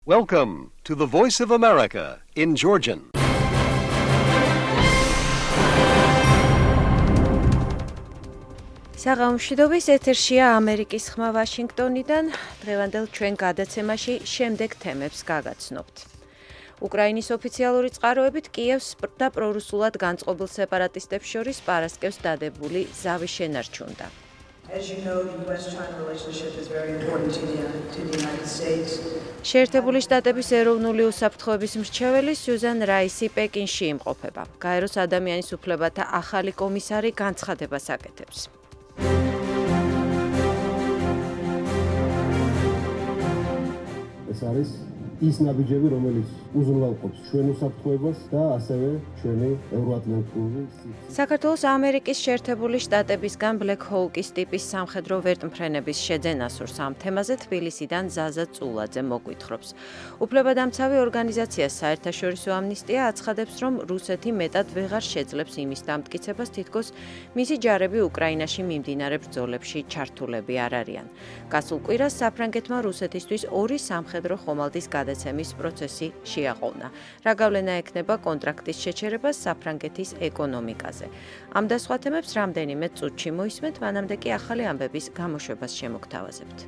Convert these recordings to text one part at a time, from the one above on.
Welcome to the Voice of America in Georgian. საღამოშიდობის ეთერშია ამერიკის ხმა ვაშინგტონიდან. დღევანდელ ჩვენ გადაცემაში შემდეგ თემებს გაგაცნობთ. უკრაინის ოფიციალური წყაროებით კიევს და პრორუსულად განწყობილ სეპარატისტებს შორის პარასკევს დადებული ზავი შენარჩუნდა. შეერთებული შტატების ეროვნული უსაფრთხოების მრჩეველი სიუზან რაისი პეკინში იმყოფება. გაეროს ადამიანის უფლებათა ახალი კომისარი განცხადებას აკეთებს. ეს არის ის ნაბიჯები, რომელიც უზრუნველყოფს ჩვენ უსაფრთხოებას და ასევე ჩვენი ევროატლანტიკური საქართველოს ამერიკის შეერთებული შტატებისგან Black Hawk-ის ტიპის სამხედრო ვერტმფრენების შეძენას სურს. ამ თემაზე თბილისიდან ზაზა წულაძე მოგვითხრობს. უფლებადამცავი ორგანიზაცია საერთაშორისო ამნისტია აცხადებს, რომ რუსეთი მეტად ვეღარ შეძლებს იმის დამტკიცებას, თითქოს მისი ჯარები უკრაინაში მიმდინარე ბრძოლებში ჩართულები არ არიან. გასულ კვირას საფრანგეთმა რუსეთისთვის ორი სამხედრო ხომალდის გადაცემის პროცესი შეაყოვნა. რა გავლენა ექნება კონტრაქტის შეჩერებას საფრანგეთის ეკონომიკაზე. ამ და სხვა თემებს რამდენიმე წუთში მოისმენთ, მანამდე კი ახალი ამბების გამოშვებას შემოგთავაზებთ.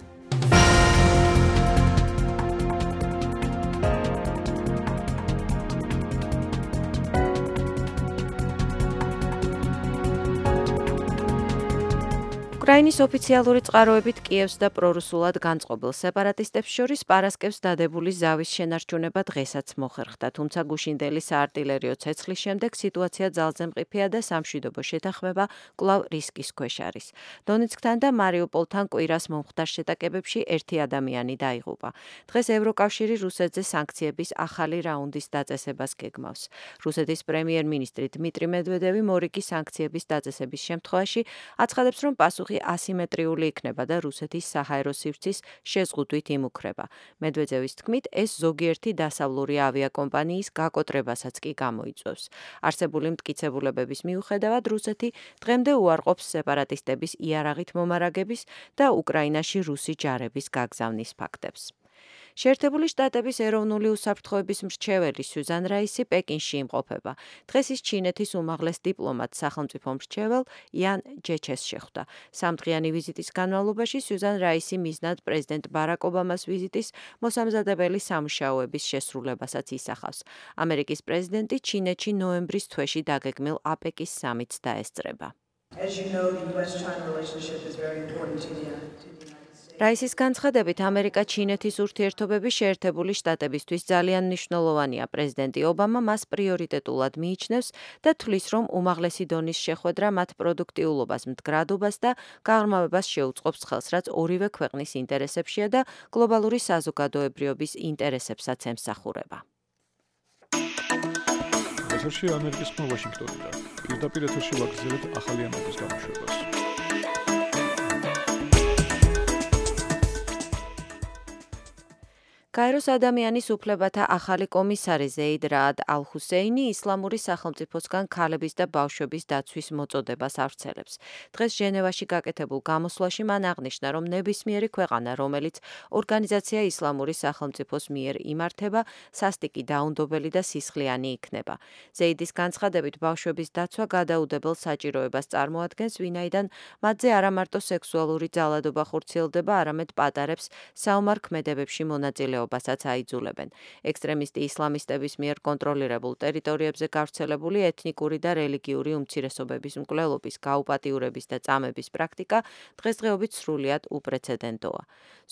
უკრაინის ოფიციალური წყაროებით კიევს და პრორუსულად განწყობილ სეპარატისტებს შორის პარასკევს დადებული ზავის შენარჩუნება დღესაც მოხერხდა, თუმცა გუშინდელი საარტილერიო ცეცხლის შემდეგ სიტუაცია ძალზე მყიფეა და სამშვიდობო შეთანხმება კვლავ რისკის ქვეშ არის. დონეცკთან და მარიუპოლთან კვირას მომხდარ შეტაკებებში ერთი ადამიანი დაიღუპა. დღეს ევროკავშირი რუსეთზე სანქციების ახალი რაუნდის დაწესებას გეგმავს. რუსეთის პრემიერ-მინისტრი დმიტრი მედვედევი მორიგი სანქციების დაწესების შემთხვევაში აცხადებს, რომ პასუხი ასიმეტრიული იქნება და რუსეთის საჰაერო სივრცის შეზღუდვით იმუქრება. მედვედევის თქმით, ეს ზოგიერთი დასავლური ავიაკომპანიის გაკოტრებასაც კი გამოიწვევს. არსებული მტკიცებულებების მიუხედავად, რუსეთი დღემდე უარყოფს სეპარატისტების იარაღით მომარაგების და უკრაინაში რუსი ჯარების გაგზავნის ფაქტებს. შეერთებული შტატების ეროვნული უსაფრთხოების მრჩეველი სიუზან რაისი პეკინში იმყოფება. დღეს ის ჩინეთის უმაღლეს დიპლომატ სახელმწიფო მრჩეվել იან ჯეჩეს შეხვდა. სამდღიანი ვიზიტის განმავლობაში სიუზან რაისი მიზნად პრეზიდენტ ბარაკ ობამას ვიზიტის მოსამზადებელი სამუშაოების შესრულებასაც ისახავს. ამერიკის პრეზიდენტი ჩინეთში ნოემბრის თვეში დაგეგმილ აპეკის სამიტს დაესწრება. რაისის განცხადებით, ამერიკა-ჩინეთის ურთიერთობები შეერთებული შტატებისთვის ძალიან მნიშვნელოვანია. პრეზიდენტი ობამა მას პრიორიტეტულად მიიჩნევს და თვლის, რომ უმაღლესი დონის შეხვედრა მათ პროდუქტიულობას, მდგრადობას და გაღრმავებას შეუწყობს ხელს, რაც ორივე ქვეყნის ინტერესებშია და გლობალური საზოგადოებრიობის ინტერესებსაც ემსახურება. ეთერში ამერიკის ხმა ვაშინგტონიდან. პირდაპირ ეთერში ვაგრძელებთ ახალი ამბების გამოშვებას. გაეროს ადამიანის უფლებათა ახალი კომისარი ზეიდ რაად ალ-ჰუსეინი ისლამური სახელმწიფოსგან ქალების და ბავშვების დაცვის მოწოდებას ავრცელებს. დღეს ჟენევაში გაკეთებულ გამოსვლაში მან აღნიშნა, რომ ნებისმიერი ქვეყანა, რომელიც ორგანიზაცია ისლამური სახელმწიფოს მიერ იმართება, სასტიკი, დაუნდობელი და სისხლიანი იქნება. ზეიდის განცხადებით, ბავშვების დაცვა გადაუდებელ საჭიროებას წარმოადგენს, ვინაიდან მათზე არა მარტო სექსუალური ძალადობა ხორციელდება, არამედ პატარებს საომარ ქმედებებში მონაწილეობასაც აიძულებენ. ექსტრემისტი ისლამისტების მიერ კონტროლირებულ ტერიტორიებზე გავრცელებული ეთნიკური და რელიგიური უმცირესობების მკვლელობის, გაუპატიურების და წამების პრაქტიკა დღესდღეობით სრულიად უპრეცედენტოა.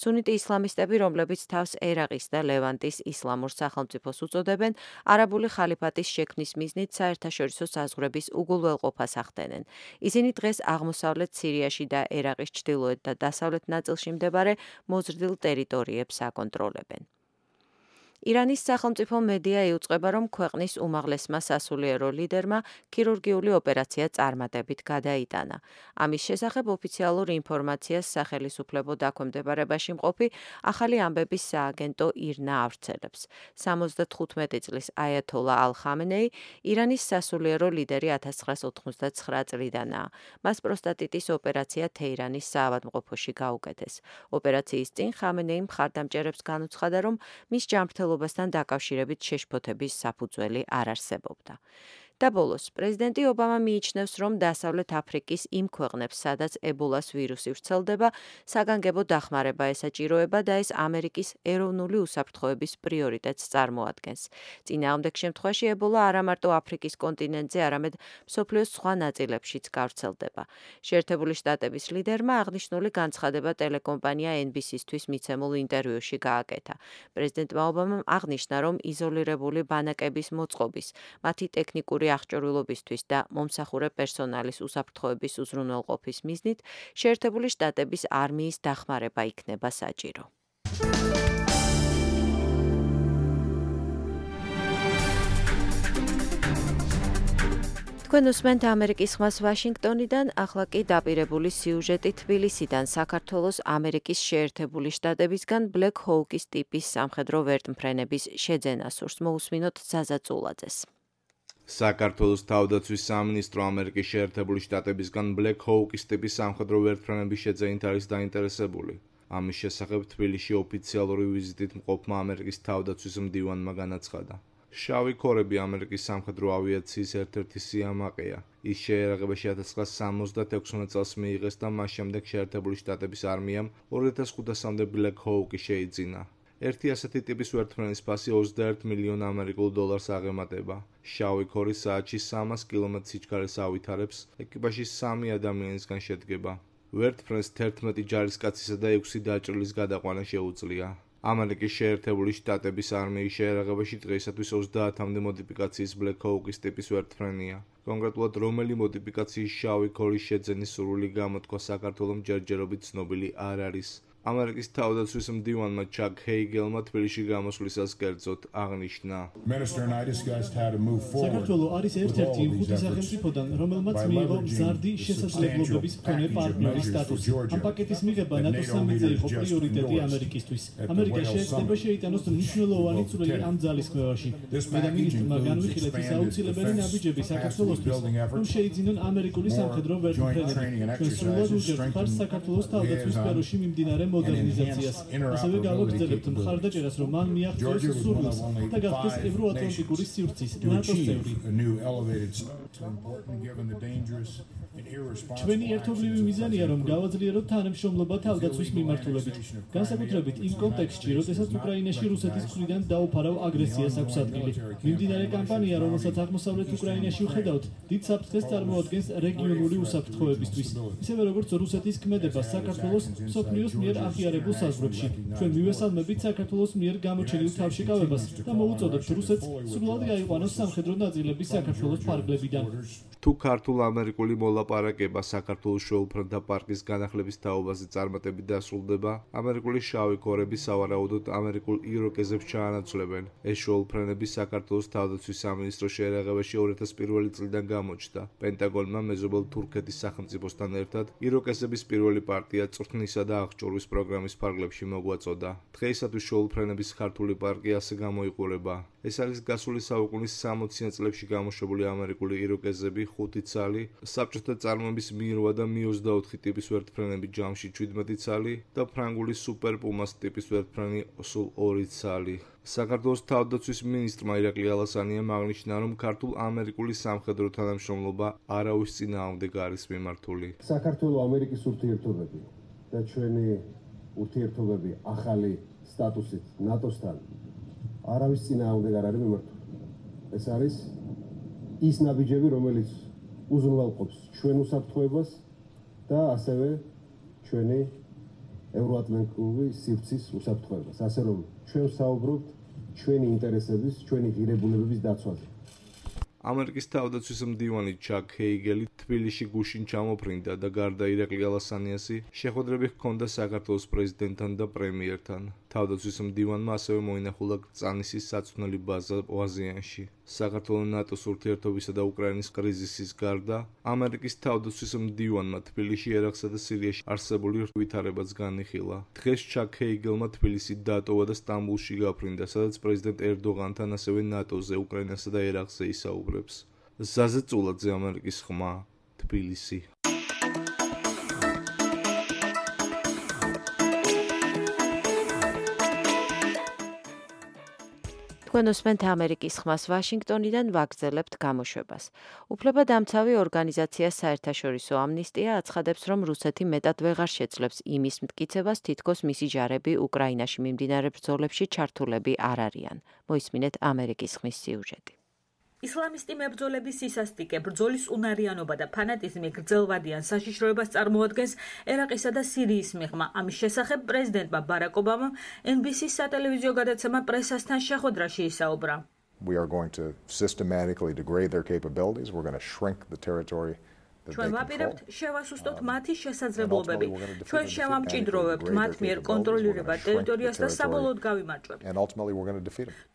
სუნიტი ისლამისტები, რომლებიც თავს ერაყის და ლევანტის ისლამურ სახელმწიფოს უწოდებენ, არაბული ხალიფატის შექმნის მიზნით საერთაშორისო საზღვრების უგულველყოფას ახდენენ. ისინი დღეს აღმოსავლეთ სირიაში და ერაყის ჩრდილოეთ და დასავლეთ ნაწილში მდებარე მოზრდილ ტერიტორიებს აკონტროლებენ. ირანის სახელმწიფო მედია იუწყება, რომ ქვეყნის უმაღლესმა სასულიერო ლიდერმა ქირურგიული ოპერაცია წარმატებით გადაიტანა. ამის შესახებ ოფიციალურ ინფორმაციას სახელისუფლებო დაქვემდებარებაში მყოფი ახალი ამბების სააგენტო ირნა ავრცელებს. 75 წლის აიათოლა ალ-ხამენეი ირანის სასულიერო ლიდერი 1999 წლიდანაა. მას პროსტატიტის ოპერაცია თეირანის საავადმყოფოში გაუკეთეს. ოპერაციის წინ ხამენეიმ მხარდამჭერებს განუცხადა, რომ მის ჯანმრთელობასთან დაკავშირებით შეშფოთების საფუძველი არ არსებობდა. და ბოლოს, პრეზიდენტი ობამა მიიჩნევს, რომ დასავლეთ აფრიკის იმ ქვეყნებს, სადაც ებოლას ვირუსი ვრცელდება, საგანგებო დახმარება ესაჭიროება და ეს ამერიკის ეროვნული უსაფრთხოების პრიორიტეტს წარმოადგენს. წინააღმდეგ შემთხვევაში ებოლა არა მარტო აფრიკის კონტინენტზე, არამედ მსოფლიოს სხვა ნაწილებშიც გავრცელდება. შეერთებული შტატების ლიდერმა აღნიშნული განცხადება ტელეკომპანია NBC-სთვის მიცემულ ინტერვიუში გააკეთა. პრეზიდენტმა ობამამ აღნიშნა, რომ იზოლირებული ბანაკების მოწყობის, მათი ტექნიკური აღჭურვილობისთვის და მომსახურე პერსონალის უსაფრთხოების უზრუნველყოფის მიზნით შეერთებული შტატების არმიის დახმარება იქნება საჭირო. თქვენ უსმენთ ამერიკის ხმას ვაშინგტონიდან, ახლა კი დაპირებული სიუჟეტი თბილისიდან, საქართველოს ამერიკის შეერთებული შტატებისგან ბლეკ ჰოუკის ტიპის სამხედრო ვერტმფრენების შეძენა სურს. მოусმინოთ ზაზა წულაძეს. საქართველოს თავდაცვის სამინისტრო ამერიკის შეერთებული შტატებისგან ბლეკ ჰოუკის ტიპის სამხედრო ვერტმფრენების შეძენით არის დაინტერესებული. ამის შესახებ თბილისში ოფიციალური ვიზიტით მყოფმა ამერიკის თავდაცვის მდივანმა განაცხადა. შავი ქორები ამერიკის სამხედრო ავიაციის ერთ-ერთი სიამაყეა. ის შეიარაღებაში 1976 წელს მიიღეს და მას შემდეგ შეერთებული შტატების არმიამ 2005-მდე ბლეკ ჰოუკი შეიძინა. ერთი ასეთი ტიპის ვერტმფრენის ფასი 21 მილიონ ამერიკულ დოლარს აღემატება. შავი ქორი საათში 300 კმ სიჩქარეს ავითარებს, ეკიპაჟი 3 ადამიანისგან შედგება. ვერტმფრენს 11 ჯარისკაცისა და 6 დაჭრილის გადაყვანა შეუძლია. ამერიკის შეერთებული შტატების არმიის შეიარაღებაში დღეისათვის 30-მდე მოდიფიკაციის ბლეკ ჰოუკის ტიპის ვერტმფრენია. კონკრეტულად რომელი მოდიფიკაციის შავი ქორის შეძენის სურვილი გამოთქვა საქართველოს ჯერჯერობით ცნობილი არ არის. ამერიკის თავდაცვის მდივანმა ჩაკ ჰეიგელმა თბილისში გამოსვლისას კერძოდ აღნიშნა. საქართველოს არის ერთ-ერთი იმ ხუთი სახელმწიფოდან, რომელმაც მიიღო მზარდი შესაძლებლობების მქონე პარტნიორის სტატუსი. ამ პაკეტის მიღება ნატოს სამედზე იყო პრიორიტეტი ამერიკისთვის. ამერიკა შეეცდება შეიტანოს მნიშვნელოვანი წვლილი ამ ძალისხმევაში. მე და მინისტრმა განვიხილეთ ის აუცილებელი ნაბიჯები საქართველოსთვის, რომ შეიძინონ ამერიკული სამხედრო ვერტმფრენები. ჩვენ სრულად უჭერთ მხარს საქართველოს თავდაცვის სფეროში მიმდინარე მოდერნიზაციას. ასევე გავაგრძელებთ მხარდაჭერას, რომ მან მიაღწიოს სურვილს და გახდეს ევროატლანტიკური სივრცის ნატოს წევრი. ჩვენი ერთობლივი მიზანია, რომ გავაძლიეროთ თანამშრომლობა თავდაცვის მიმართულებით, განსაკუთრებით იმ კონტექსტში, როდესაც უკრაინაში რუსეთის მხრიდან დაუფარავ აგრესიას აქვს ადგილი. მიმდინარე კამპანია, რომელსაც აღმოსავლეთ უკრაინაში ვხედავთ, დიდ საფრთხეს წარმოადგენს რეგიონული უსაფრთხოებისთვის, ისევე როგორც რუსეთის ქმედება საქართველოს მსოფლიოს მიერ აღიარებულ საზღვრებში. ჩვენ მივესალმებით საქართველოს მიერ გამოჩენილ თავშეკავებას და მოუწოდებთ რუსეთს სრულად გაიყვანოს სამხედრო ნაწილები საქართველოს ფარგლებიდან. თუ ქართულ-ამერიკული მოლაპარაკება საქართველოს შეუფრენთა პარკის განახლების თაობაზე წარმატებით დასრულდება, ამერიკული შავი ქორები სავარაუდოდ ამერიკულ იროკეზებს ჩაანაცვლებენ. ეს შეუფრენები საქართველოს თავდაცვის სამინისტროს შეიარაღებაში 2001 წლიდან გამოჩნდა. პენტაგონმა მეზობელ თურქეთის სახელმწიფოსთან ერთად იროკეზების პირველი პარტია წვრთნისა და აღჭურვის პროგრამის ფარგლებში მოგვაწოდა. დღეისათვის შეუფრენების ქართული პარკი ასე გამოიყურება. ეს არის გასული საუკუნის 60-იან წლებში გამოშვებული ამერიკული იროკეზები 5 ცალი, საბჭოთა წარმოების მიირვა და Mi-24 ტიპის ვერტმფრენები ჯამში 17 ცალი და ფრანგული სუპერ პუმას ტიპის ვერტმფრენი სულ 2 ცალი. საქართველოს თავდაცვის მინისტრმა ირაკლი ალასანიამ აღნიშნა, რომ ქართულ-ამერიკული სამხედრო თანამშრომლობა არავის წინააღმდეგ არის მიმართული. საქართველოს-ამერიკის ურთიერთობები და ჩვენი ურთიერთობები ახალი სტატუსით ნატოსთან არავის წინააღმდეგ არ არის მიმართული. ეს არის ის ნაბიჯები, რომელიც უზრუნველყოფს ჩვენ უსაფრთხოებას და ასევე ჩვენი ევროატლანტიკური სივრცის უსაფრთხოებას. ასე რომ ჩვენ საუბრობთ ჩვენი ინტერესების, ჩვენი ღირებულებების დაცვაზე. ამერიკის თავდაცვის მდივანი ჩაკ ჰეიგელი თბილისში გუშინ ჩამოფრინდა და გარდა ირაკლი ალასანიასი შეხვედრები ჰქონდა საქართველოს პრეზიდენტთან და პრემიერთან. თავდაცვის მდივანმა ასევე მოინახულა წანისის საწვნელი ბაზა აზიანში. საქართველოს ნატოს ურთიერთობისა და უკრაინის კრიზისის გარდა, ამერიკის თავდაცვის მდივანმა თბილისში, ერაყსა და სირიაში არსებული ვითარებაც განიხილა. დღეს ჩაკ ჰეიგელმა თბილისი დატოვა და სტამბულში გაფრინდა, სადაც პრეზიდენტ ერდოღანთან ასევე ნატოზე, უკრაინასა და ერაყზე ისაუბრებს. ზაზე წულაძე, ამერიკის ხმა, თბილისი. თქვენ უსმენთ ამერიკის ხმას ვაშინგტონიდან ვაგრძელებთ გამოშვებას. უფლებადამცავი ორგანიზაცია საერთაშორისო ამნისტია აცხადებს, რომ რუსეთი მეტად ვეღარ შეძლებს იმის მტკიცებას, თითქოს მისი ჯარები უკრაინაში მიმდინარე ბრძოლებში ჩართულები არ არიან. მოისმინეთ ამერიკის ხმის სიუჟეტი. ისლამისტი მებრძოლების სისასტიკე, ბრძოლის უნარიანობა და ფანატიზმი გრძელვადიან საშიშროებას წარმოადგენს ერაყისა და სირიის მიღმა. ამის შესახებ პრეზიდენტმა ბარაკ ობამამ NBC-ის სატელევიზიო გადაცემა პრესასთან შეხვედრაში ისაუბრა. We are going to systematically degrade their capabilities. We're going to shrink the territory. ჩვენ ვაპირებთ შევასუსტოთ მათი შესაძლებლობები. ჩვენ შევამჭიდროვებთ მათ მიერ კონტროლირებად ტერიტორიას და საბოლოოდ გავიმარჯვებთ.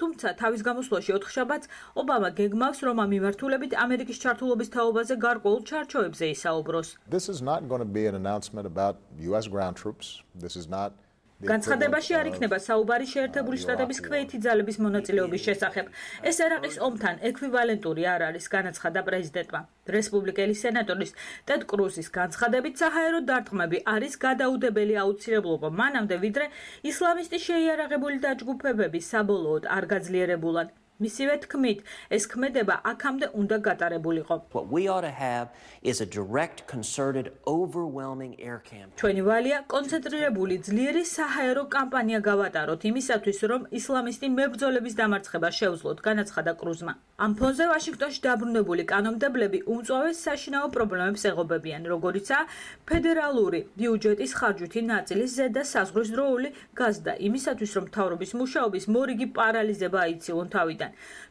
თუმცა თავის გამოსვლაში ოთხშაბათს ობამა გეგმავს, რომ ამ მიმართულებით ამერიკის ჩართულობის თაობაზე გარკვეულ ჩარჩოებზე ისაუბროს. This is not going to be an announcement about US ground troops. This is not განცხადებაში არ იქნება საუბარი შეერთებული შტატების ქვეითი ძალების მონაწილეობის შესახებ. ეს ერაყის ომთან ექვივალენტური არ არის, განაცხადა პრეზიდენტმა. რესპუბლიკელი სენატორის ტედ კრუსის განცხადებით საჰაერო დარტყმები არის გადაუდებელი აუცილებლობა, მანამდე ვიდრე ისლამისტი შეიარაღებული დაჯგუფებები საბოლოოდ არ გაძლიერებულან. მისივე თქმით, ეს ქმედება აქამდე უნდა გატარებულიყო. What we ought to have is a direct, concerted, overwhelming air campaign. ჩვენი ვალია კონცენტრირებული ძლიერი საჰაერო კამპანია გავატაროთ იმისათვის, რომ ისლამისტი მებრძოლების დამარცხება შევძლოთ, განაცხადა კრუზმა. ამ ფონზე ვაშინგტონში დაბრუნებული კანონმდებლები უმწვავეს საშინაო პრობლემებს ეღობებიან, როგორიცაა ფედერალური ბიუჯეტის ხარჯვითი ნაწილის ზედა საზღვრისდროული გაზრდა, იმისათვის, რომ მთავრობის მუშაობის მორიგი პარალიზება აიცილონ თავიდან.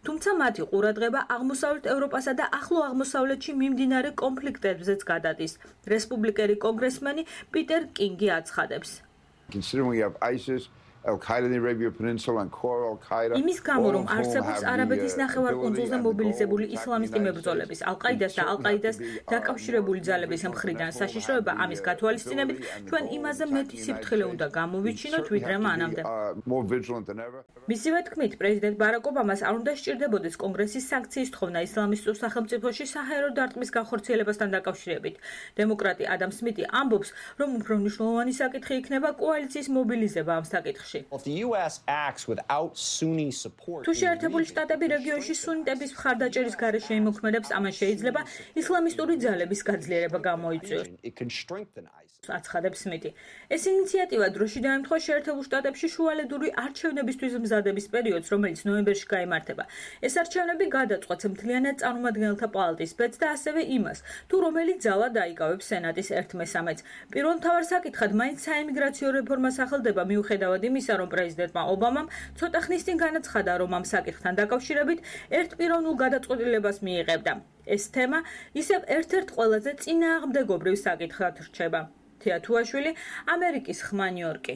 თუმცა მათი ყურადღება აღმოსავლეთ ევროპასა და ახლო აღმოსავლეთში მიმდინარე კონფლიქტებზეც გადადის. რესპუბლიკელი კონგრესმენი პიტერ კინგი აცხადებს. იმის გამო, რომ არსებობს არაბეთის ნახევარკუნძულზე მობილიზებული ისლამისტი მებრძოლების, ალ-ყაიდას და ალ-ყაიდას დაკავშირებული ძალების მხრიდან საშიშროება, ამის გათვალისწინებით, ჩვენ იმაზე მეტი სიფრთხილე უნდა გამოვიჩინოთ, ვიდრე მანამდე. მისივე თქმით, პრეზიდენტ ბარაკ ობამას არ უნდა სჭირდებოდეს კონგრესის სანქციის თხოვნა ისლამისტურ სახელმწიფოში საჰაერო დარტყმის განხორციელებასთან დაკავშირებით. დემოკრატი ადამ სმითი ამბობს, რომ უფრო მნიშვნელოვანი საკითხი იქნება კოალიციის მობილიზება ამ საკითხში. თუ შეერთებული შტატები რეგიონში სუნიტების მხარდაჭერის გარეშე იმოქმედებს, ამან შეიძლება ისლამისტური ძალების გაძლიერება გამოიწვიოს. აცხადებს სმითი. ეს ინიციატივა დროში დაემთხვა შეერთებულ შტატებში შუალედური არჩევნებისთვის მზადების პერიოდს, რომელიც ნოემბერში გაიმართება. ეს არჩევნები გადაწყვეტს მთლიანად წარმომადგენელთა პალატის ბედს და ასევე იმას, თუ რომელი ძალა დაიკავებს სენატის 1/3-ს. პირველ მთავარ საკითხად მაინც საიმიგრაციო რეფორმა სახელდება, მიუხედავად იმისა, რომ პრეზიდენტმა ობამამ ცოტა ხნის წინ განაცხადა, რომ ამ საკითხთან დაკავშირებით ერთპიროვნულ გადაწყვეტილებას მიიღებდა. ეს თემა ისევ ერთ-ერთ ყველაზე წინააღმდეგობრივ საკითხად რჩება. თია თუაშვილი, ამერიკის ხმა, ნიუ-იორკი.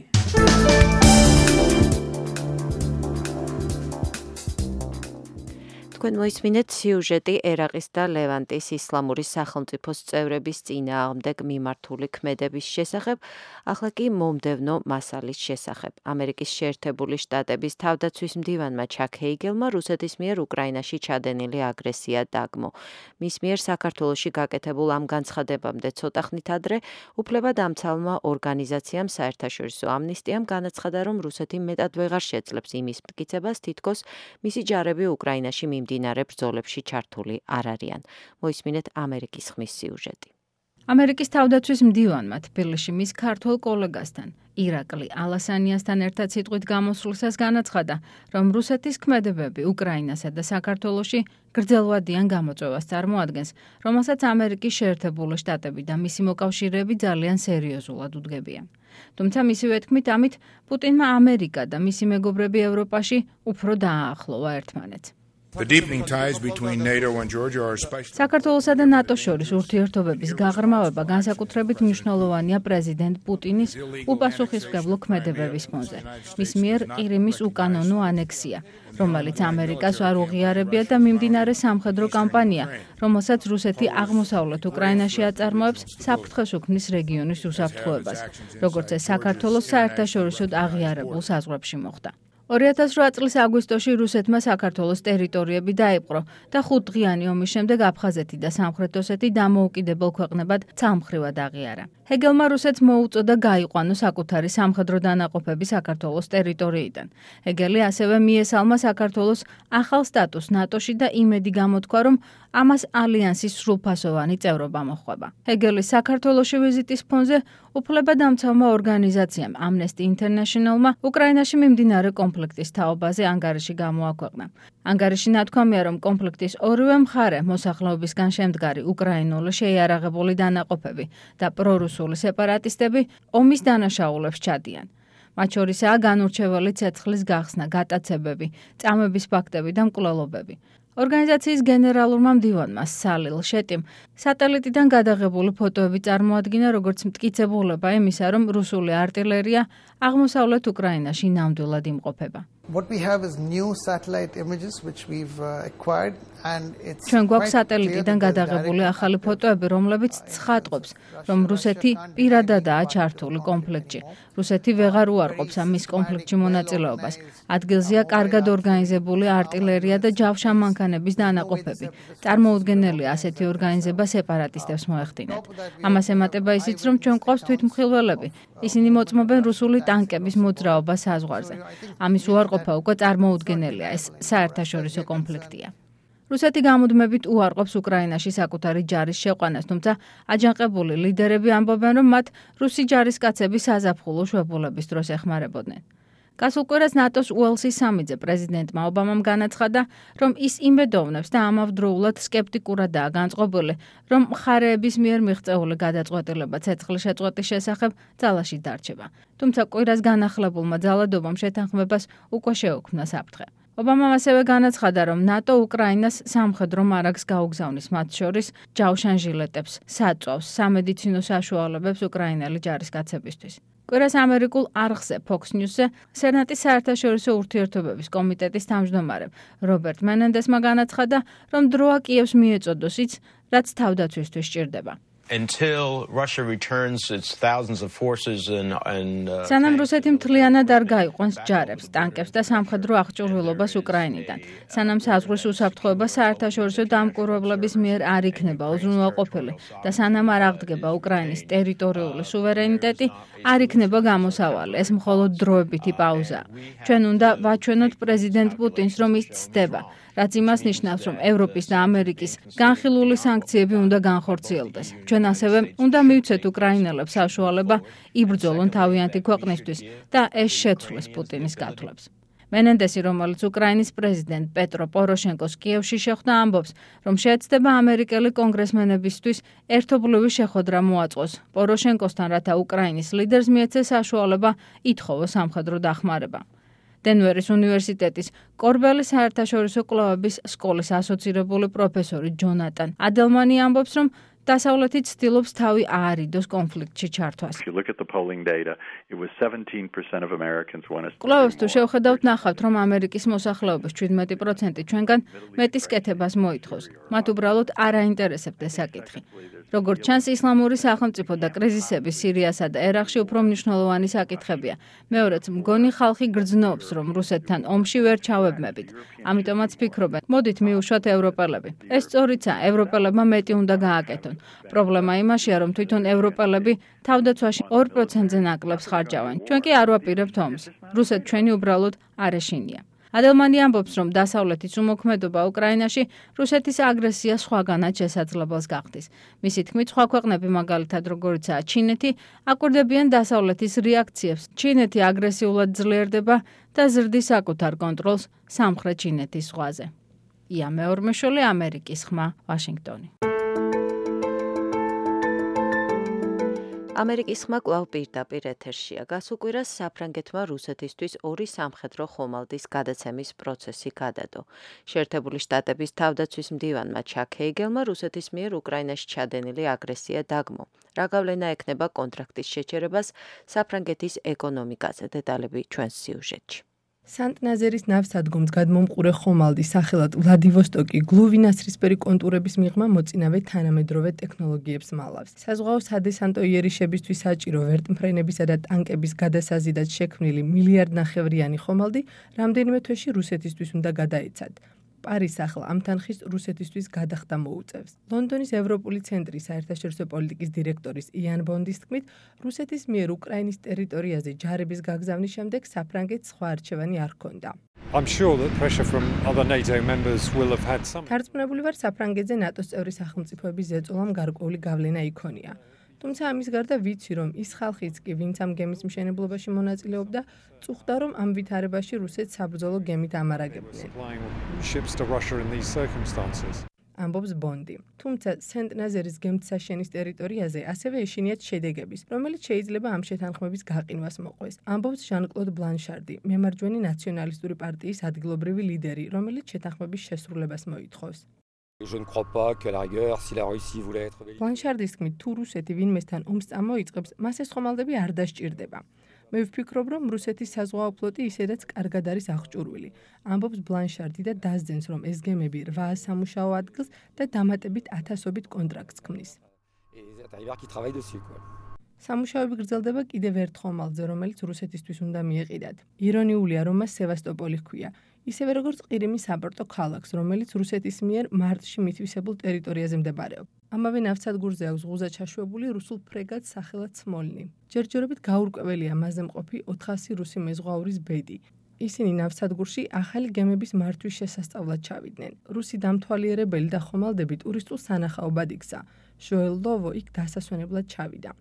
თქვენ მოისმინეთ სიუჟეტი ერაყის და ლევანტის ისლამური სახელმწიფოს წევრების წინააღმდეგ მიმართული ქმედების შესახებ, ახლა კი მომდევნო მასალის შესახებ. ამერიკის შეერთებული შტატების თავდაცვის მდივანმა ჩაკ ჰეიგელმა რუსეთის მიერ უკრაინაში ჩადენილი აგრესია დაგმო. მის მიერ საქართველოში გაკეთებულ ამ განცხადებამდე ცოტა ხნით ადრე უფლებადამცავმა ორგანიზაციამ საერთაშორისო ამნისტიამ განაცხადა, რომ რუსეთი მეტად ვეღარ შეძლებს იმის მტკიცებას, თითქოს მისი ჯარები უკრაინაში მიმდინარე ბრძოლებში ჩართული არ არიან. მოისმინეთ ამერიკის ხმის სიუჟეტი. ამერიკის თავდაცვის მდივანმა თბილისში მის ქართველ კოლეგასთან, ირაკლი ალასანიასთან ერთად სიტყვით გამოსვლისას განაცხადა, რომ რუსეთის ქმედებები უკრაინასა და საქართველოში გრძელვადიან გამოწვევას წარმოადგენს, რომელსაც ამერიკის შეერთებული შტატები და მისი მოკავშირეები ძალიან სერიოზულად უდგებიან. თუმცა მისივე თქმით, ამით პუტინმა ამერიკა და მისი მეგობრები ევროპაში უფრო დააახლოვა ერთმანეთს. საქართველოსა და ნატოს შორის ურთიერთობების გაღრმავება განსაკუთრებით მნიშვნელოვანია პრეზიდენტ პუტინის უპასუხისმგებლო ქმედებების ფონზე. მის მიერ ყირიმის უკანონო ანექსია, რომელიც ამერიკას არ უღიარებია და მიმდინარე სამხედრო კამპანია, რომელსაც რუსეთი აღმოსავლეთ უკრაინაში აწარმოებს საფრთხეს უქმნის რეგიონის უსაფრთხოებას, როგორც ეს საქართველოს საერთაშორისოდ აღიარებულ საზღვრებში მოხდა. 2008 წლის აგვისტოში რუსეთმა საქართველოს ტერიტორიები დაიპყრო და 5 დღიანი ომის შემდეგ აფხაზეთი და სამხრეთ ოსეთი დამოუკიდებელ ქვეყნებად ცალმხრივად აღიარა. ჰეგელმა რუსეთს მოუწოდა გაიყვანო საკუთარი სამხედრო დანაყოფები საქართველოს ტერიტორიიდან. ჰეგელი ასევე მიესალმა საქართველოს ახალ სტატუსს ნატოში და იმედი გამოთქვა, რომ ამას ალიანსის სრულფასოვანი წევრობა მოჰყვება. ჰეგელის საქართველოში ვიზიტის ფონზე უფლებადამცავმა ორგანიზაციამ Amnesty International-მა უკრაინაში მიმდინარე კონფლიქტის თაობაზე ანგარიში გამოაქვეყნა. ანგარიში ნათქვამია, რომ კონფლიქტის ორივე მხარე მოსახლეობისგან შემდგარი უკრაინული შეიარაღებული დანაყოფები და პრორუსული სეპარატისტები ომის დანაშაულებს ჩადიან. მათ შორისაა განურჩეველი ცეცხლის გახსნა, გატაცებები, წამების ფაქტები და მკვლელობები. ორგანიზაციის გენერალურმა მდივანმა სალილ შეტიმ სატელიტიდან გადაღებული ფოტოები წარმოადგინა, როგორც მტკიცებულება იმისა, რომ რუსული არტილერია აღმოსავლეთ უკრაინაში ნამდვილად იმყოფება. ჩვენ გვაქვს სატელიტიდან გადაღებული ახალი ფოტოები, რომლებიც ცხადყოფს, რომ რუსეთი პირადადაა ჩართული კონფლიქტში. რუსეთი ვეღარ უარყოფს ამის კონფლიქტში მონაწილეობას. ადგილზეა კარგად ორგანიზებული არტილერია და ჯავშანმანქანების დანაყოფები. წარმოუდგენელია ასეთი ორგანიზება სეპარატისტებს მოეხდინათ. ამას ემატება ისიც, რომ ჩვენ გვყავს თვითმხილველები. ისინი მოწმობენ რუსული ტანკების მოძრაობა საზღვარზე. ამის უარყოფა უკვე წარმოუდგენელია, ეს საერთაშორისო კონფლიქტია. რუსეთი გამუდმებით უარყოფს უკრაინაში საკუთარი ჯარის შეყვანას, თუმცა აჯანყებული ლიდერები ამბობენ, რომ მათ რუსი ჯარისკაცები საზაფხულო შვებულების დროს ეხმარებოდნენ. გასულ კვირას ნატოს უელსის სამიტზე პრეზიდენტმა ობამამ განაცხადა, რომ ის იმედოვნებს და ამავდროულად სკეპტიკურადაა განწყობილი, რომ მხარეების მიერ მიღწეული გადაწყვეტილება ცეცხლის შეწყვეტის შესახებ ძალაში დარჩება. თუმცა კვირას განახლებულმა ძალადობამ შეთანხმებას უკვე შეუქმნა საფრთხე. ობამამ ასევე განაცხადა, რომ ნატო უკრაინას სამხედრო მარაგს გაუგზავნის, მათ შორის ჯავშანჟილეტებს, საწვავს, სამედიცინო საშუალებებს უკრაინელი ჯარისკაცებისთვის. კვირას ამერიკულ არხზე Fox News-ზე სენატის საერთაშორისო ურთიერთობების კომიტეტის თავმჯდომარე რობერტ მენენდესმა განაცხადა, რომ დროა კიევს მიეწოდოს ის, რაც თავდაცვისთვის სჭირდება. სანამ რუსეთი მთლიანად არ გაიყვანს ჯარებს, ტანკებს და სამხედრო აღჭურვილობას უკრაინიდან, სანამ საზღვრის უსაფრთხოება საერთაშორისო დამკვირვებლების მიერ არ იქნება უზრუნველყოფილი და სანამ არ აღდგება უკრაინის ტერიტორიული სუვერენიტეტი, არ იქნება გამოსავალი. ეს მხოლოდ დროებითი პაუზაა. ჩვენ უნდა ვაჩვენოთ პრეზიდენტ პუტინს, რომ ის ცდება, რაც იმას ნიშნავს, რომ ევროპის და ამერიკის განხილული სანქციები უნდა განხორციელდეს. ჩვენ ასევე უნდა მივცეთ უკრაინელებს საშუალება იბრძოლონ თავიანთი ქვეყნისთვის და ეს შეცვლის პუტინის გათვლებს. მენენდესი, რომელიც უკრაინის პრეზიდენტ პეტრო პოროშენკოს კიევში შეხვდა, ამბობს, რომ შეეცდება ამერიკელი კონგრესმენებისთვის ერთობლივი შეხვედრა მოაწყოს პოროშენკოსთან, რათა უკრაინის ლიდერს მიეცეს საშუალება ითხოვოს სამხედრო დახმარება. დენვერის უნივერსიტეტის კორბელის საერთაშორისო კვლევების სკოლის ასოცირებული პროფესორი ჯონატან ადელმანი ამბობს, რომ დასავლეთი ცდილობს თავი აარიდოს კონფლიქტში ჩართვას. კვლევებს თუ შევხედავთ, ნახავთ, რომ ამერიკის მოსახლეობის 17% ჩვენგან მეტის კეთებას მოითხოვს. მათ უბრალოდ არ აინტერესებთ ეს საკითხი. როგორც ჩანს, ისლამური სახელმწიფო და კრიზისები სირიასა და ერაყში უფრო მნიშვნელოვანი საკითხებია. მეორეც, მგონი ხალხი გრძნობს, რომ რუსეთთან ომში ვერ ჩავებმებით. ამიტომაც ფიქრობენ, მოდით მივუშვათ ევროპელები. ეს სწორიცაა, ევროპელებმა მეტი უნდა გააკეთონ. პრობლემა იმაშია, რომ თვითონ ევროპელები თავდაცვაში 2%-ზე ნაკლებს ხარჯავენ. ჩვენ კი არ ვაპირებთ ომს. რუსეთ ჩვენი უბრალოდ არ ეშინია. ადელმანი ამბობს, რომ დასავლეთის უმოქმედობა უკრაინაში რუსეთის აგრესია სხვაგანაც შესაძლებელს გახდის. მისი თქმით, სხვა ქვეყნები, მაგალითად როგორიცაა ჩინეთი, აკვირდებიან დასავლეთის რეაქციებს. ჩინეთი აგრესიულად ძლიერდება და ზრდის საკუთარ კონტროლს სამხრეთ ჩინეთის ზღვაზე. ია მეორმეშოლი, ამერიკის ხმა, ვაშინგტონი. ამერიკის ხმა კვლავ პირდაპირ ეთერშია. გასუკვირას საფრანგეთმა რუსეთისთვის 2 სამხედრო ხომალდის გადაცემის პროცესი გადადო. შეერთებული შტატების თავდაცვის მდივანმა ჩაკ ჰეიგელმა რუსეთის მიერ უკრაინაში ჩადენილი აგრესია დაგმო. რა გავლენა ექნება კონტრაქტის შეჩერებას საფრანგეთის ეკონომიკაზე? დეტალები ჩვენს სიუჟეტში. სანტ-ნაზერის ნავსადგომს გადმომყურე ხომალდი სახელად ვლადივოსტოკი გლუვინასრისფერი კონტურების მიღმა მოწინავე თანამედროვე ტექნოლოგიებს მალავს. საზღვაო სადესანტო იერიშებისთვის საჭირო ვერტმფრენებისა და ტანკების გადასაზიდად შექმნილი მილიარდნახევრიანი ხომალდი რამდენიმე თვეში რუსეთისთვის უნდა გადაეცათ. პარიზს ახლა ამ თანხის რუსეთისთვის გადახდა მოუწევს. ლონდონის ევროპული ცენტრის საერთაშორისო პოლიტიკის დირექტორის იან ბონდის თქმით, რუსეთის მიერ უკრაინის ტერიტორიაზე ჯარების გაგზავნის შემდეგ საფრანგეთს სხვა არჩევანი არ ჰქონდა. თარწმუნებული ვარ, საფრანგეთზე ნატოს წევრი სახელმწიფოების ზეწოლამ გარკვეული გავლენა იქონია. თუმცა ამის გარდა ვიცი, რომ ის ხალხიც კი, ვინც ამ გემის მშენებლობაში მონაწილეობდა, წუხდა, რომ ამ ვითარებაში რუსეთს საბრძოლო გემით ამარაგებდნენ. ამბობს ბონდი. თუმცა სენტ-ნაზერის გემთსაშენის ტერიტორიაზე ასევე ეშინიათ შედეგების, რომელიც შეიძლება ამ შეთანხმების გაყინვას მოყვეს. ამბობს ჟან-კლოდ ბლანშარდი, მემარჯვენე ნაციონალისტური პარტიის ადგილობრივი ლიდერი, რომელიც შეთანხმების შესრულებას მოითხოვს. ბლანშარდის თქმით, თუ რუსეთი ვინმესთან ომს წამოიწყებს, მას ეს ხომალდები არ დასჭირდება. მე ვფიქრობ, რომ რუსეთის საზღვაო ფლოტი ისედაც კარგად არის აღჭურვილი. ამბობს ბლანშარდი და დასძენს, რომ ეს გემები 8 სამუშაო ადგილს და დამატებით 1000-ობით კონტრაქტს ქმნის. სამუშაოები გრძელდება კიდევ ერთ ხომალდზე, რომელიც რუსეთისთვის უნდა მიეყიდათ. ირონიულია, რომ მას სევასტოპოლი ჰქვია. ისევე როგორც ყირიმის საპორტო ქალაქს, რომელიც რუსეთის მიერ მარტში მითვისებულ ტერიტორიაზე მდებარეობს. ამავე ნავსადგურზე აქვს ღუზაჩაშვებული რუსულ ფრეგატს სახელად სმოლნი. ჯერჯერობით გაურკვეველია მასზე მყოფი 400 რუსი მეზღვაურის ბედი. ისინი ნავსადგურში ახალი გემების მართვის შესასწავლად ჩავიდნენ. რუსი დამთვალიერებელი და ხომალდები ტურისტულ სანახაობად იქცა. ჟოელ ლოვო იქ დასასვენებლად ჩავიდა.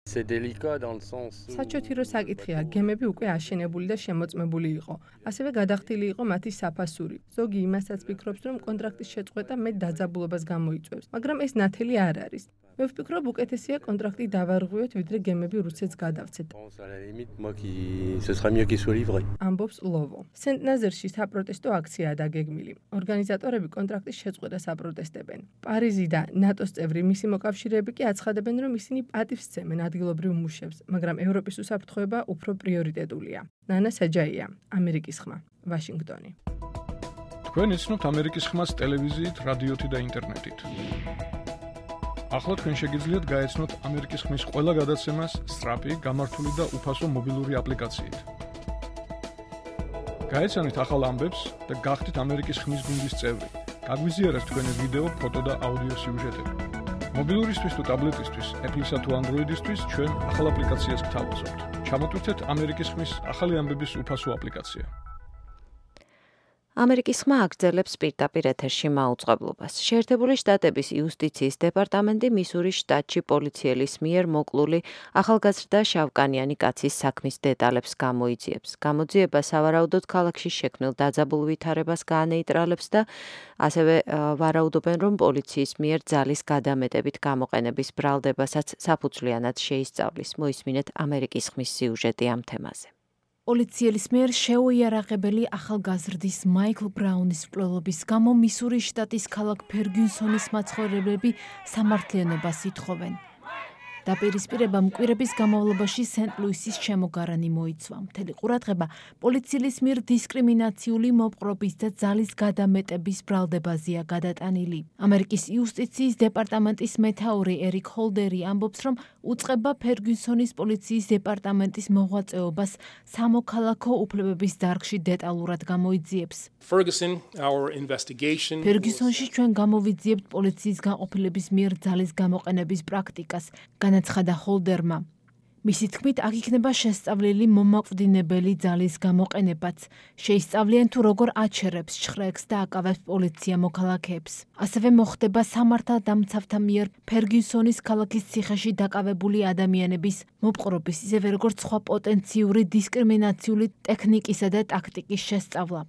საჩოთირო საკითხია, გემები უკვე აშენებული და შემოწმებული იყო. ასევე გადახდილი იყო მათი საფასური. ზოგი იმასაც ფიქრობს, რომ კონტრაქტის შეწყვეტა მეტ დაძაბულობას გამოიწვევს, მაგრამ ეს ნათელი არ არის. მე ვფიქრობ, უკეთესია კონტრაქტი დავარღვიოთ, ვიდრე გემები რუსეთს გადავცეთ. ამბობს ლოვო. სენტ-ნაზერში საპროტესტო აქციაა დაგეგმილი. ორგანიზატორები კონტრაქტის შეწყვეტას აპროტესტებენ. პარიზი და ნატოს წევრი მისი მოკავშირეები კი აცხადებენ, რომ ისინი პატივს სცემენ ადგილობრივ მუშებს, მაგრამ ევროპის უსაფრთხოება უფრო პრიორიტეტულია. ნანა საჯაია, ამერიკის ხმა, ვაშინგტონი. თქვენ იცნობთ ამერიკის ხმას ტელევიზიით, რადიოთი და ინტერნეტით. ახლა თქვენ შეგიძლიათ გაეცნოთ ამერიკის ხმის ყველა გადაცემას სწრაფი, გამართული და უფასო მობილური აპლიკაციით. გაეცანით ახალ ამბებს და გახდით ამერიკის ხმის გუნდის წევრი. გაგვიზიარეთ თქვენი ვიდეო, ფოტო და აუდიო სიუჟეტები. მობილურისთვის თუ ტაბლეტისთვის, Apple-ისა თუ Android-ისთვის ჩვენ ახალ აპლიკაციას გთავაზობთ. ჩამოტვირთეთ ამერიკის ხმის ახალი ამბების უფასო აპლიკაცია. ამერიკის ხმა აგრძელებს პირდაპირ ეთერში მაუწყებლობას. შეერთებული შტატების იუსტიციის დეპარტამენტი მისურის შტატში პოლიციელის მიერ მოკლული ახალგაზრდა შავკანიანი კაცის საქმის დეტალებს გამოიძიებს. გამოძიება სავარაუდოდ ქალაქში შექმნილ დაძაბულ ვითარებას გაანეიტრალებს და ასევე ვარაუდობენ, რომ პოლიციის მიერ ძალის გადამეტებით გამოყენების ბრალდებასაც საფუძვლიანად შეისწავლის. მოისმინეთ ამერიკის ხმის სიუჟეტი ამ თემაზე. პოლიციელის მიერ შეუიარაღებელი ახალგაზრდის მაიკლ ბრაუნის მკვლელობის გამო მისურის შტატის ქალაქ ფერგიუსონის მაცხოვრებლები სამართლიანობას ითხოვენ. დაპირისპირება მკვირების განმავლობაში სენტ-ლუისის შემოგარანი მოიცვა. მთელი ყურადღება პოლიციელის მიერ დისკრიმინაციული მოპყრობის და ძალის გადამეტების ბრალდებაზეა გადატანილი. ამერიკის იუსტიციის დეპარტამენტის მეთაური ერიკ ჰოლდერი ამბობს, რომ უწყება ფერგიუსონის პოლიციის დეპარტამენტის მოღვაწეობას სამოქალაქო უფლებების დარგში დეტალურად გამოიძიებს. ფერგიუსონში ჩვენ გამოვიძიებთ პოლიციის განყოფილების მიერ ძალის გამოყენების პრაქტიკას, განაცხადა ჰოლდერმა. მისი თქმით, აქ იქნება შესწავლილი მომაკვდინებელი ძალის გამოყენებაც. შეისწავლიან თუ როგორ აჩერებს, შხრეებს და აკავებს პოლიცია მოქალაქეებს. ასევე მოხდება სამართალდამცავთა მიერ ფერგიუსონის ქალაქის ციხეში დაკავებული ადამიანების მოპყრობის, ისევე როგორც სხვა პოტენციური დისკრიმინაციული ტექნიკისა და ტაქტიკის შესწავლა.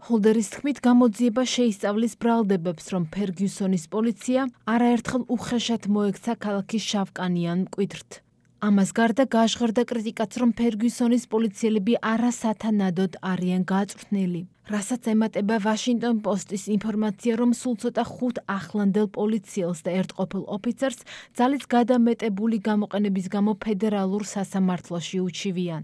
ჰოლდერის თქმით, გამოძიება შეისწავლის ბრალდებებს, რომ ფერგიუსონის პოლიცია არაერთხელ უხეშად მოექცა ქალაქის შავკანიან მკვიდრთ. ამას გარდა გაჟღერდა კრიტიკაც, რომ ფერგიუსონის პოლიციელები არასათანადოდ არიან გააწვრთნილი. რასაც ემატება ვაშინგტონ პოსტის ინფორმაცია, რომ სულ ცოტა 5 ახლანდელ პოლიციელს და ერთ ყოფილ ოფიცერს ძალის გადამეტებული გამოყენების გამო ფედერალურ სასამართლოში უჩივიან.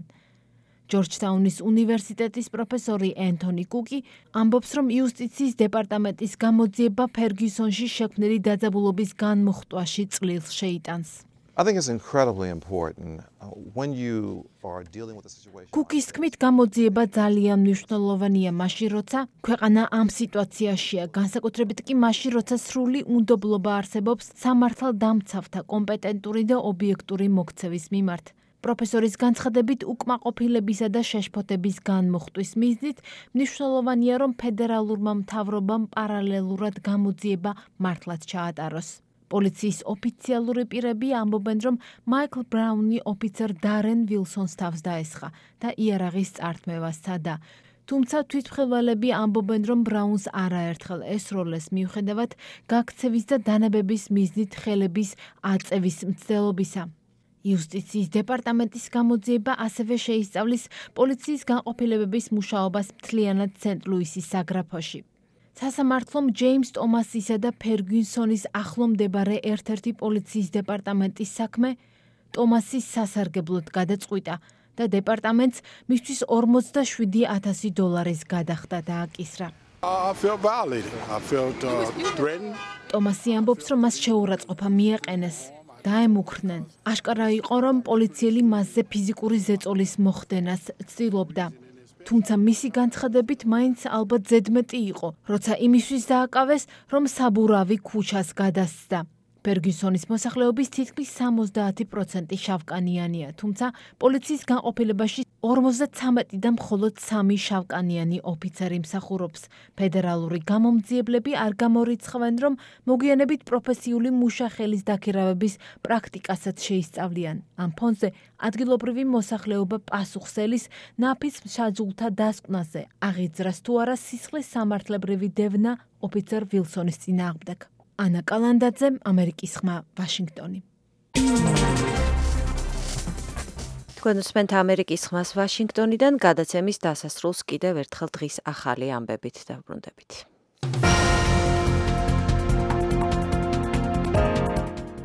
ჯორჯტაუნის უნივერსიტეტის პროფესორი ენტონი კუკი ამბობს, რომ იუსტიციის დეპარტამენტის გამოძიება ფერგიუსონში შექმნილი დაძაბულობის განმუხტვაში წლილს შეიტანს. I think it's incredibly important when you are dealing with a situation. კუკის თქმით, გამოძიება ძალიან მნიშვნელოვანია მაშინ, როცა ქვეყანა ამ სიტუაციაშია, განსაკუთრებით კი მაშინ, როცა სრული უნდობლობა არსებობს სამართალდამცავთა კომპეტენტური და ობიექტური მოქცევის მიმართ. პროფესორის განცხადებით, უკმაყოფილებისა და შეშფოთების განმუხტვის მიზნით მნიშვნელოვანია, რომ ფედერალურმა მთავრობამ პარალელურად გამოძიება მართლაც ჩაატაროს. პოლიციის ოფიციალური პირები ამბობენ, რომ მაიკლ ბრაუნი ოფიცერ დარენ ვილსონს თავს დაესხა და იარაღის წართმევა სცადა. თუმცა თვითმხილველები ამბობენ, რომ ბრაუნს არაერთხელ ესროლეს მიუხედავად გაქცევის და დანებების მიზნით ხელების აწევის მცდელობისა. იუსტიციის დეპარტამენტის გამოძიება ასევე შეისწავლის პოლიციის განყოფილებების მუშაობას მთლიანად სენტ-ლუისის საგრაფოში. სასამართლომ ჯეიმს ტომასისა და ფერგიუსონის ახლო მდებარე ერთ-ერთი პოლიციის დეპარტამენტის საქმე ტომასის სასარგებლოდ გადაწყვიტა და დეპარტამენტს მისთვის $47,000 გადახდა დააკისრა. ტომასი ამბობს, რომ მას შეურაცხყოფა მიაყენეს. დაემუქრნენ. აშკარა იყო, რომ პოლიციელი მასზე ფიზიკური ზეწოლის მოხდენას ცდილობდა. თუმცა მისი განცხადებით მაინც ალბათ ზედმეტი იყო, როცა იმისთვის დააკავეს, რომ საბურავი ქუჩას გადასცდა. ფერგიუსონის მოსახლეობის თითქმის 70% შავკანიანია, თუმცა პოლიციის განყოფილებაში 53-დან მხოლოდ 3 შავკანიანი ოფიცერი მსახურობს. ფედერალური გამომძიებლები არ გამორიცხავენ, რომ მოგვიანებით პროფესიული მუშახელის დაქირავების პრაქტიკასაც შეისწავლიან. ამ ფონზე ადგილობრივი მოსახლეობა პასუხს ელის ნაფიც მსაჯულთა დასკვნაზე, აღიძრას თუ არა სისხლის სამართლებრივი დევნა ოფიცერ ვილსონის წინააღმდეგ. ანა კალანდაძე, ამერიკის ხმა, ვაშინგტონი. თქვენ უსმენთ ამერიკის ხმას ვაშინგტონიდან, გადაცემის დასასრულს კიდევ ერთხელ დღის ახალი ამბებით დავბრუნდებით.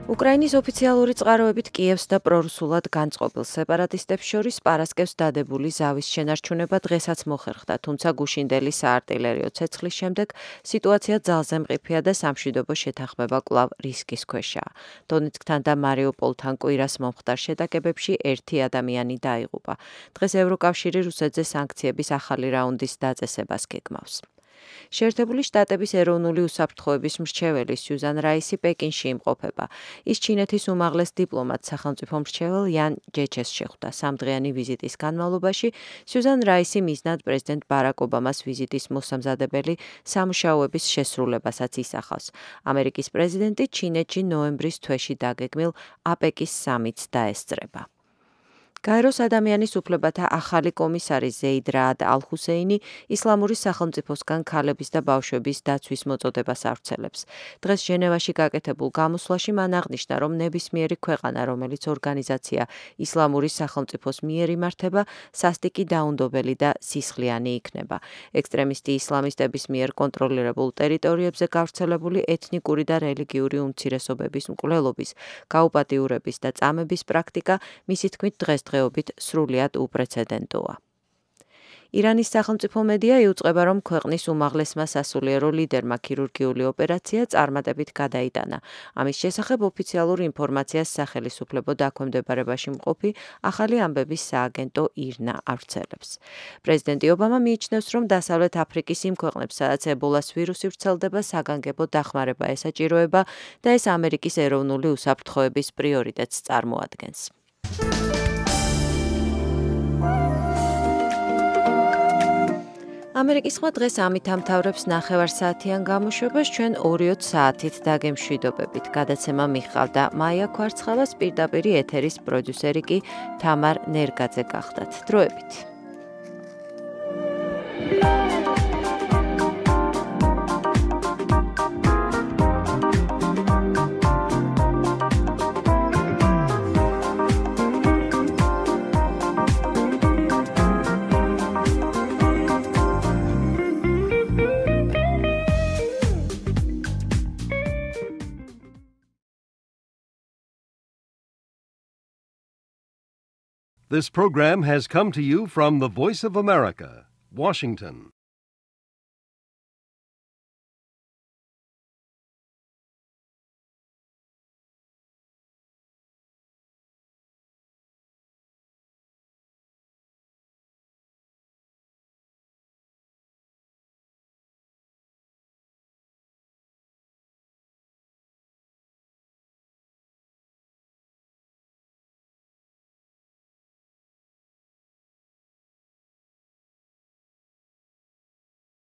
უკრაინის ოფიციალური წყაროებით კიევს და პრორუსულად განწყობილ სეპარატისტებს შორის პარასკევს დადებული ზავის შენარჩუნება დღესაც მოხერხდა, თუმცა გუშინდელი საარტილერიო ცეცხლის შემდეგ სიტუაცია ძალზე მყიფეა და სამშვიდობო შეთანხმება კვლავ რისკის ქვეშაა. დონეცკთან და მარიუპოლთან კვირას მომხდარ შეტაკებებში 1 ადამიანი დაიღუპა. დღეს ევროკავშირი რუსეთზე სანქციების ახალი რაუნდის დაწესებას გეგმავს. შეერთებული შტატების ეროვნული უსაფრთხოების მრჩეველი სიუზან რაისი პეკინში იმყოფება. ის ჩინეთის უმაღლეს დიპლომატ სახელმწიფო მრჩეվել იან ჯეჩეს შეხვდა. 3დღიანი ვიზიტის განმავლობაში სიუზან რაისი მიზნად პრეზიდენტ ბარაკ ობამას ვიზიტის მოსამზადებელი სამუშაოების შესრულებასაც ისახავს. ამერიკის პრეზიდენტი ჩინეთში ნოემბრის თვეში დაგეგმილ აპეკის სამიტს დაესწრება. გაეროს ადამიანის უფლებათა ახალი კომისარი ზეიდ რაად ალ-ჰუსეინი ისლამური სახელმწიფოსგან ქალების და ბავშვების დაცვის მოწოდებას ავრცელებს. დღეს ჟენევაში გაკეთებულ გამოსვლაში მან აღნიშნა, რომ ნებისმიერი ქვეყანა, რომელიც ორგანიზაცია ისლამური სახელმწიფოს მიერ იმართება, სასტიკი დაუნდობელი და სისხლიანი იქნება. ექსტრემისტი ისლამისტების მიერ კონტროლირებულ ტერიტორიებზე გავრცელებული ეთნიკური და რელიგიური უმცირესობების მკვლელობის, გაუპატიურების და წამების პრაქტიკა მისი თქმით დღესდღეობით სრულიად უპრეცედენტოა. ირანის სახელმწიფო მედია იუწყება, რომ ქვეყნის უმაღლესმა სასულიერო ლიდერმა ქირურგიული ოპერაცია წარმატებით გადაიტანა. ამის შესახებ ოფიციალურ ინფორმაციას სახელისუფლებო დაქვემდებარებაში მყოფი ახალი ამბების სააგენტო ირნა ავრცელებს. პრეზიდენტი ობამა მიიჩნევს, რომ დასავლეთ აფრიკის იმ ქვეყნებს, სადაც ებოლას ვირუსი ვრცელდება, საგანგებო დახმარება ესაჭიროება და ეს ამერიკის ეროვნული უსაფრთხოების პრიორიტეტს წარმოადგენს. ამერიკის ხმა დღეს ამით ამთავრებს 9 საათიან გამოშვებას, ჩვენ 2 საათით დაგემშვიდობებით. გადაცემა მიხავდა მაია ქვარცხავას, პირდაპირ ეთერის პროდიუსერი კი თამარ ნერგაძე გახდათ. დროებით. This program has come to you from the Voice of America, Washington.